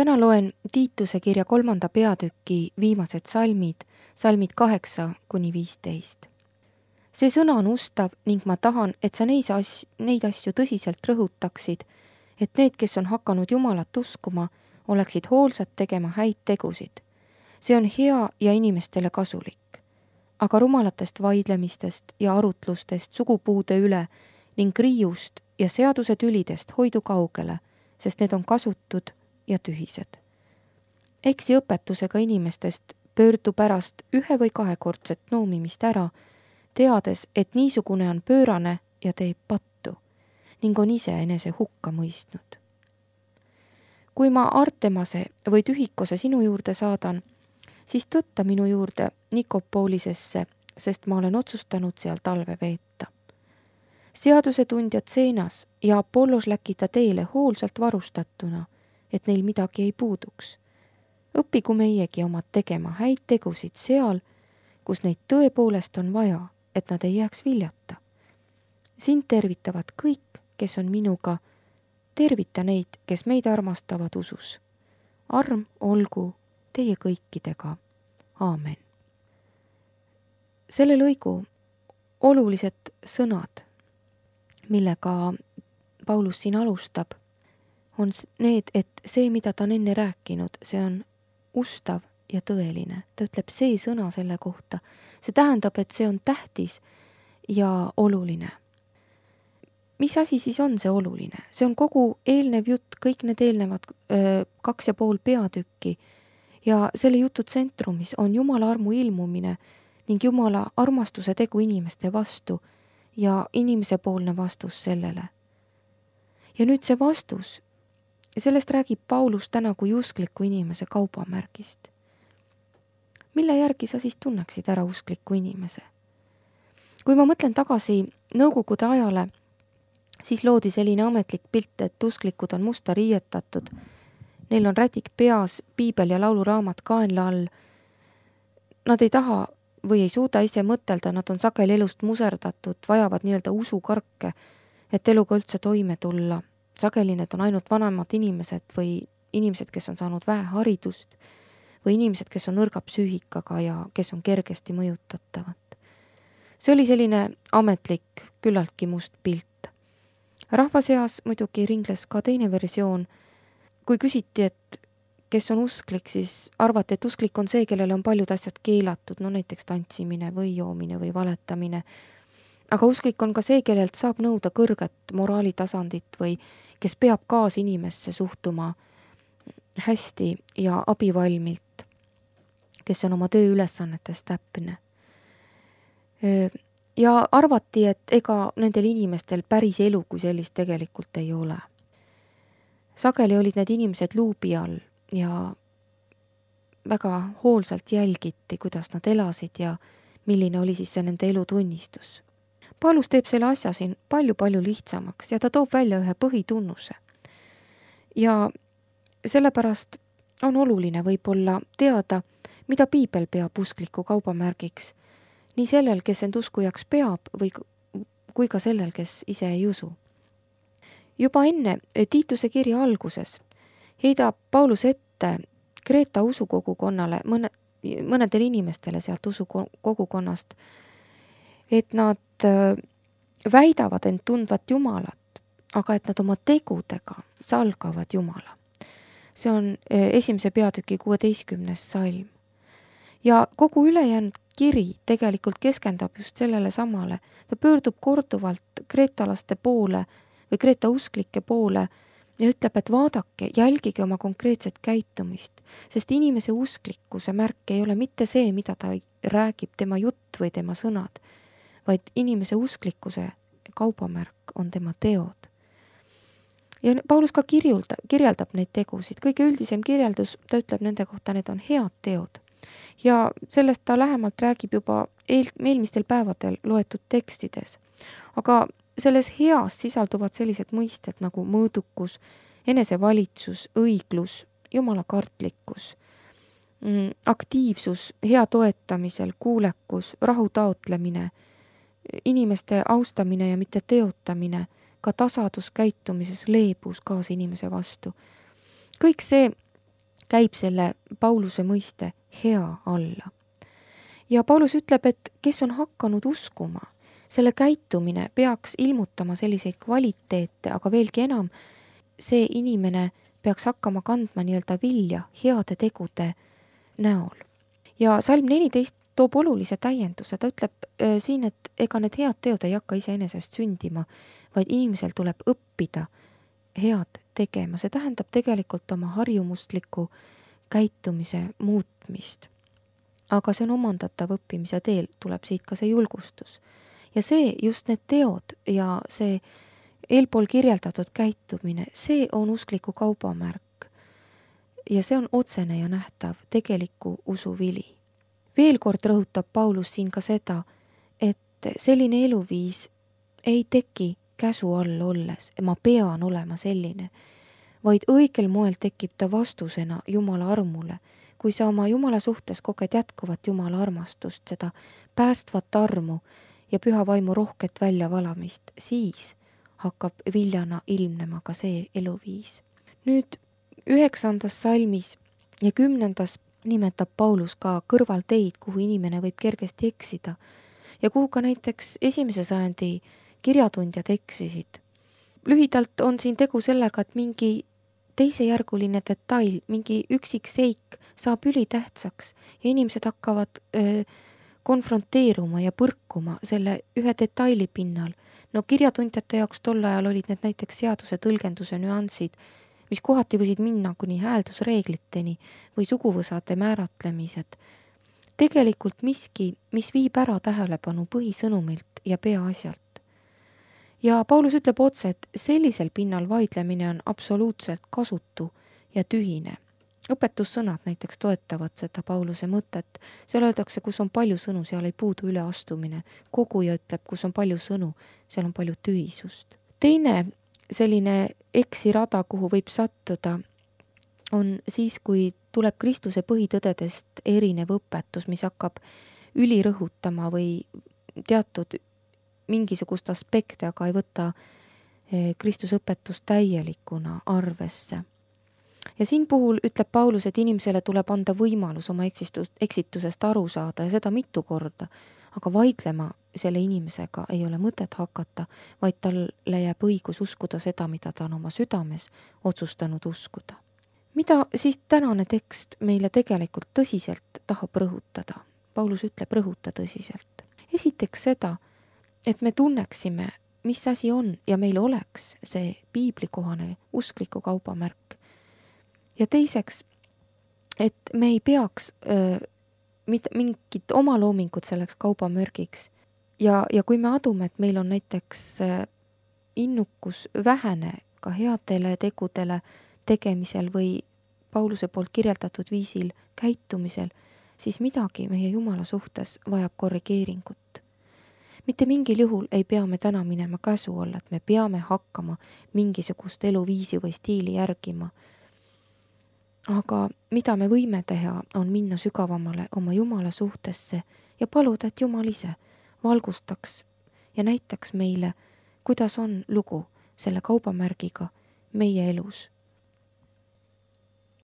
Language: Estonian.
Täna loen Tiituse kirja 3. peatüki viimased salmid 8-15. See sõna on ustav ning ma tahan, et sa neid asju tõsiselt rõhutaksid, et need, kes on hakanud Jumalat uskuma, oleksid hoolsad tegema häid tegusid. See on hea ja inimestele kasulik. Aga rumalatest vaidlemistest ja arutlustest sugupuude üle ning riiust ja seaduse tülidest hoidu kaugele, sest need on kasutud ja tühised. Eksi õpetusega inimestest pöördu pärast 1- või 2-kordset noomimist ära, teades, et niisugune on pöörane ja teeb pattu ning on ise enese hukka mõistnud. Kui ma Artemase või Tühikose sinu juurde saadan, siis tõtta minu juurde Nikopolisesse, sest ma olen otsustanud seal talve veeta. Seadusetundjad Seenas ja Apollos läkita teele hoolsalt varustatuna, et neil midagi ei puuduks. Õppigu meiegi omad tegema häid tegusid seal, kus neid tõepoolest on vaja, et nad ei jääks viljata. Sind tervitavad kõik, kes on minuga, tervita neid, kes meid armastavad usus. Arm olgu teie kõikidega. Aamen. Selle lõigu olulised sõnad, millega Paulus siin alustab, on need, et see, mida ta on enne rääkinud, see on ustav ja tõeline. Ta ütleb see sõna selle kohta. See tähendab, et see on tähtis ja oluline. Mis asi siis on see oluline? See on kogu eelnev jutt, kõik need eelnevad 2,5 peatükki ja selle jutu tsentrumis on Jumala armu ilmumine ning Jumala armastuse tegu inimeste vastu ja inimesepoolne vastus sellele. Ja nüüd see vastus, sellest räägib Paulus täna kui uskliku inimese kaubamärgist. Mille järgi sa siis tunneksid ära uskliku inimese? Kui ma mõtlen tagasi Nõukogude ajale, siis loodi selline ametlik pilt, et usklikud on musta riietatud. Neil on rätik peas, piibel ja lauluraamat kaenla all. Nad ei taha või ei suuda ise mõtelda, nad on sageli elust muserdatud, vajavad nii-öelda usukarke, et eluga üldse toime tulla. Sageli need on ainult vanemad inimesed või inimesed, kes on saanud vähe haridust või inimesed, kes on nõrga psüühikaga ja kes on kergesti mõjutatavad. See oli selline ametlik, küllaltki must pilt. Rahva seas muidugi ringles ka teine versioon. Kui küsiti, et kes on usklik, siis arvati, et usklik on see, kellele on paljud asjad keelatud, no näiteks tantsimine või joomine või valetamine. Aga usklik on ka see, kellelt saab nõuda kõrget moraalitasandit või kes peab kaasinimesse suhtuma hästi ja abivalmilt, kes on oma tööülesannetes täpne. Ja arvati, et ega nendel inimestel päris elu kui sellist tegelikult ei ole. Sageli olid need inimesed luubi all ja väga hoolsalt jälgiti, kuidas nad elasid ja milline oli siis see nende elu tunnistus. Paulus teeb selle asja siin palju-palju lihtsamaks ja ta toob välja ühe põhitunnuse. Ja sellepärast on oluline võib-olla teada, mida piibel peab uskliku kaubamärgiks, nii sellel, kes end uskujaks peab kui ka sellel, kes ise ei usu. Juba enne Tiituse kirja alguses heidab Paulus ette Kreeta usukogukonnale, mõnedele inimestele sealt usukogukonnast, et nad väidavad end tundvat Jumalat, aga et nad oma tegudega salgavad Jumala. See on 1. peatüki 16. salm. Ja kogu ülejäänud kiri tegelikult keskendab just sellele samale. Ta pöördub korduvalt kreetalaste poole või kreeta usklike poole ja ütleb, et vaadake, jälgige oma konkreetset käitumist, sest inimese usklikkuse märk ei ole mitte see, mida ta räägib, tema jutt või tema sõnad, vaid inimese usklikkuse kaubamärk on tema teod. Ja Paulus ka kirjeldab neid tegusid. Kõige üldisem kirjeldus, ta ütleb nende kohta, need on head teod. Ja sellest ta lähemalt räägib juba eelmistel päevadel loetud tekstides. Aga selles heas sisalduvad sellised mõisted nagu mõõdukus, enesevalitsus, õiglus, jumalakartlikkus, aktiivsus, hea toetamisel, kuulekus, rahu taotlemine, inimeste austamine ja mitte teotamine, ka tasadus käitumises, leebus kaasinimese vastu. Kõik see käib selle Pauluse mõiste hea alla. Ja Paulus ütleb, et kes on hakanud uskuma, selle käitumine peaks ilmutama selliseid kvaliteete, aga veelgi enam, see inimene peaks hakkama kandma nii-öelda vilja heade tegude näol. Ja salm 14 toob olulise täienduse, ta ütleb siin, et ega need head teod ei hakka iseenesest sündima, vaid inimesel tuleb õppida head tegema. See tähendab tegelikult oma harjumusliku käitumise muutmist. Aga see on omandatav õppimise teel, tuleb siit ka see julgustus. Ja see, just need teod ja see eelpool kirjeldatud käitumine, see on uskliku kaubamärk. Ja see on otsene ja nähtav tegeliku usu vili. Veel kord rõhutab Paulus siin ka seda, et selline eluviis ei teki käsu all olles, ma pean olema selline, vaid õigel moel tekib ta vastusena Jumala armule. Kui sa oma Jumala suhtes koged jätkuvat Jumala armastust, seda päästvat armu ja püha vaimu rohket väljavalamist, siis hakkab viljana ilmnema ka see eluviis. Nüüd 9. salmis ja 10. nimetab Paulus ka kõrvalteid, kuhu inimene võib kergesti eksida ja kuhu ka näiteks 1. sajandi kirjatundjad eksisid. Lühidalt on siin tegu sellega, et mingi teisejärguline detail, mingi üksik seik saab ülitähtsaks ja inimesed hakkavad konfronteeruma ja põrkuma selle ühe detaili pinnal. No kirjatundjate jaoks tol ajal olid need näiteks seaduse tõlgenduse nüansid, mis kohati võisid minna kuni hääldusreegliteni või suguvõsade määratlemised. Tegelikult miski, mis viib ära tähelepanu põhisõnumilt ja peaasjalt. Ja Paulus ütleb otse, et sellisel pinnal vaidlemine on absoluutselt kasutu ja tühine. Õpetussõnad näiteks toetavad seda Pauluse mõtet. Seal öeldakse, kus on palju sõnu, seal ei puudu üleastumine. Koguja ütleb, kus on palju sõnu, seal on palju tühisust. Teine selline eksirada, kuhu võib sattuda, on siis, kui tuleb Kristuse põhitõdedest erinev õpetus, mis hakkab ülirõhutama või teatud mingisugust aspekte, aga ei võta Kristuse õpetust täielikuna arvesse. Ja siin puhul ütleb Paulus, et inimesele tuleb anda võimalus oma eksitusest aru saada ja seda mitu korda, aga vaidlema selle inimesega ei ole mõtet hakata, vaid talle jääb õigus uskuda seda, mida ta on oma südames otsustanud uskuda. Mida siis tänane tekst meile tegelikult tõsiselt tahab rõhutada? Paulus ütleb rõhuta tõsiselt. Esiteks seda, et me tunneksime, mis asi on ja meil oleks see piiblikohane uskliku kaubamärk. Ja teiseks, et me ei peaks mingit oma loomingut selleks kaubamärgiks. Ja kui me adume, et meil on näiteks innukus vähene ka headele tegudele tegemisel või Pauluse poolt kirjeldatud viisil käitumisel, siis midagi meie Jumala suhtes vajab korrigeeringut. Mitte mingil juhul ei pea me täna minema käsu alla, et me peame hakkama mingisugust eluviisi või stiili järgima. Aga mida me võime teha, on minna sügavamale oma Jumala suhtesse ja paluda, et Jumal ise valgustaks ja näitaks meile, kuidas on lugu selle kaubamärgiga meie elus